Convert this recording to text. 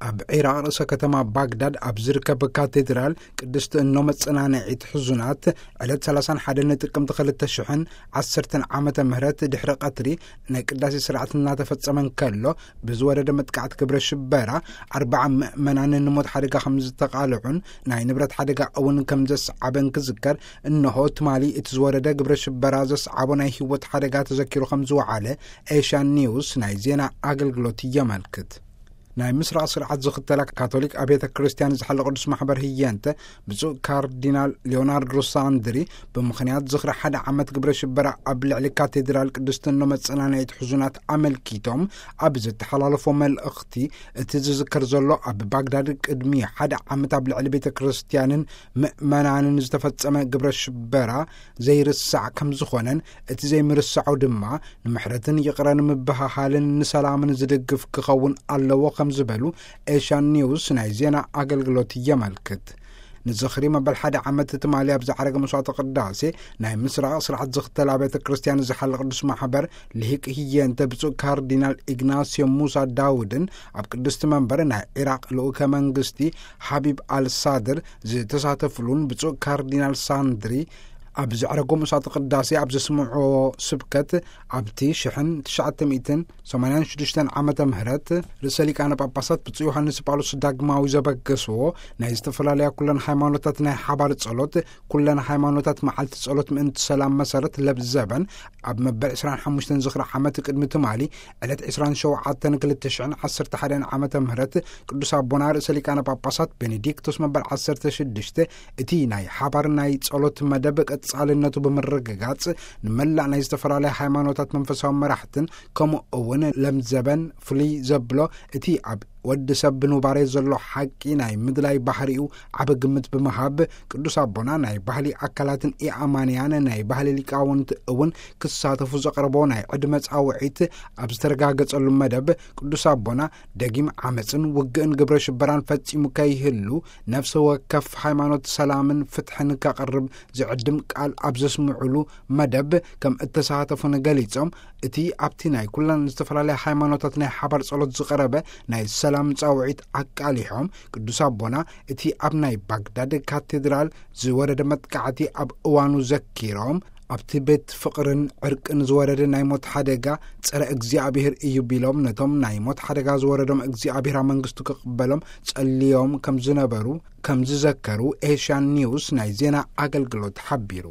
ኣብ ዒራቕ ርእሰ ከተማ ባግዳድ ኣብ ዝርከብ ካቴድራል ቅድስቲ እኖ መጸናንዒት ሕዙናት ዕለት ሰላሳን ሓደን ጥቅምቲ ክልተ ሽሕን ዓሰርተን ዓመተ ምህረት ድሕሪ ቀትሪ ናይ ቅዳሴ ስርዓት እናተፈጸመ እንከሎ፣ ብዝወረደ መጥቃዕቲ ግብረ ሽበራ ኣርባዓ ምእመናን ንሞት ሓደጋ ከም ዝተቓልዑን ናይ ንብረት ሓደጋ እውን ከም ዘስዓበን ክዝከር፣ እንሆ ትማሊ እቲ ዝወረደ ግብረ ሽበራ ዘስዓቦ ናይ ህይወት ሓደጋ ተዘኪሩ ከም ዝወዓለ ኤሽያን ኒውስ ናይ ዜና ኣገልግሎት የመልክት። ናይ ምስራቕ ስርዓት ዝኽተላ ካቶሊክ ኣብያተ ክርስቲያን ዝሓለ ቅዱስ ማሕበር ህየንተ፣ ብፁዕ ካርዲናል ሊዮናርዶ ሳንድሪ፣ ብምኽንያት ዝኽሪ ሓደ ዓመት ግብረ ሽበራ ኣብ ልዕሊ ካቴድራል ቅድስቲ እኖ መጸናንዒት ሕዙናት ኣመልኪቶም ኣብ ዝተሓላለፎ መልእኽቲ፣ እቲ ዝዝከር ዘሎ ኣብ ባግዳድ ቅድሚ ሓደ ዓመት ኣብ ልዕሊ ቤተ ክርስቲያንን ምእመናንን ዝተፈጸመ ግብረ ሽበራ ዘይርሳዕ ከም ዝኾነን፣ እቲ ዘይምርሳዑ ድማ ንምሕረትን ይቕረ ንምብህሃልን ንሰላምን ዝድግፍ ክኸውን ኣለዎ ከም ዝበሉ ኤሽያን ኒውስ ናይ ዜና ኣገልግሎት የመልክት። ንዝኽሪ መበል ሓደ ዓመት ትማሊ ኣብ ዝዓረገ መስዋዕተ ቅዳሴ ናይ ምስራቕ ስርዓት ዝኽተል ኣብያተ ክርስቲያን ዝሓለ ቅዱስ ማሕበር ልሂቅ ህየንተ ብፁዕ ካርዲናል ኢግናስዮ ሙሳ ዳውድን ኣብ ቅድስቲ መንበር ናይ ዒራቕ ልኡከ መንግስቲ ሓቢብ ኣልሳድር ዝተሳተፍሉን ብፁዕ ካርዲናል ሳንድሪ ኣብ ዘዕረጎ መስዋዕተ ቅዳሴ ኣብ ዘስምዕዎ ስብከት፣ ኣብቲ ሽሕን ትሽዓተ ሚእትን ሰማንያን ሽዱሽተን ዓመተ ምህረት ርእሰ ሊቃነ ጳጳሳት ብፁዕ ዮሃንስ ጳውሎስ ዳግማዊ ዘበገስዎ ናይ ዝተፈላለያ ኩለን ሃይማኖታት ናይ ሓባር ጸሎት፣ ኩለን ሃይማኖታት መዓልቲ ጸሎት ምእንቲ ሰላም መሰረት ለብዘበን፣ ኣብ መበል ዕስራን ሓሙሽተን ዝኽሪ ዓመት ቅድሚ ትማሊ ዕለት ዕስራን ሸውዓተን ክልተ ሽሕን ዓሰርተ ሓደን ዓመተ ምህረት ቅዱስ ኣቦና ርእሰ ሊቃነ ጳጳሳት ቤኔዲክቶስ መበል ዓሰርተ ሽዱሽተ፣ እቲ ናይ ሓባር ናይ ጸሎት መደብ ቀጻልነቱ ብምርግጋጽ፣ ንመላእ ናይ ዝተፈላለያ ሃይማኖታት መንፈሳዊ መራሕትን ከምኡ እውን ለምዘበን ፍሉይ ዘብሎ እቲ ኣብ ወዲ ሰብ ብኑባሬ ዘሎ ሓቂ ናይ ምድላይ ባህሪኡ ዓቢ ግምት ብምሃብ፣ ቅዱስ ኣቦና ናይ ባህሊ ኣካላትን ኢኣማንያን ናይ ባህሊ ሊቃውንት እውን ክሳተፉ ዘቕረቦ ናይ ዕድመ ጻውዒት ኣብ ዝተረጋገጸሉ መደብ፣ ቅዱስ ኣቦና ደጊም ዓመጽን ውግእን ግብረ ሽበራን ፈጺሙ ከይህሉ፣ ነፍሲ ወከፍ ሃይማኖት ሰላምን ፍትሕን ከቕርብ ዝዕድም ቃል ኣብ ዘስምዑሉ መደብ ከም እተሳተፉን ገሊጾም፣ እቲ ኣብቲ ናይ ኩለን ዝተፈላለያ ሃይማኖታት ናይ ሓባር ጸሎት ዝቐረበ ናይ ሰላም ጻውዒት ኣቃሊሖም፣ ቅዱስ ኣቦና እቲ ኣብ ናይ ባግዳድ ካቴድራል ዝወረደ መጥቃዕቲ ኣብ እዋኑ ዘኪሮም፣ ኣብቲ ቤት ፍቕርን ዕርቅን ዝወረደ ናይ ሞት ሓደጋ ጸረ እግዚኣብሔር እዩ ቢሎም፣ ነቶም ናይ ሞት ሓደጋ ዝወረዶም እግዚኣብሔር ኣብ መንግስቱ ክቕበሎም ጸልዮም ከም ዝነበሩ ከም ዝዘከሩ ኤሽያን ኒውስ ናይ ዜና ኣገልግሎት ሓቢሩ።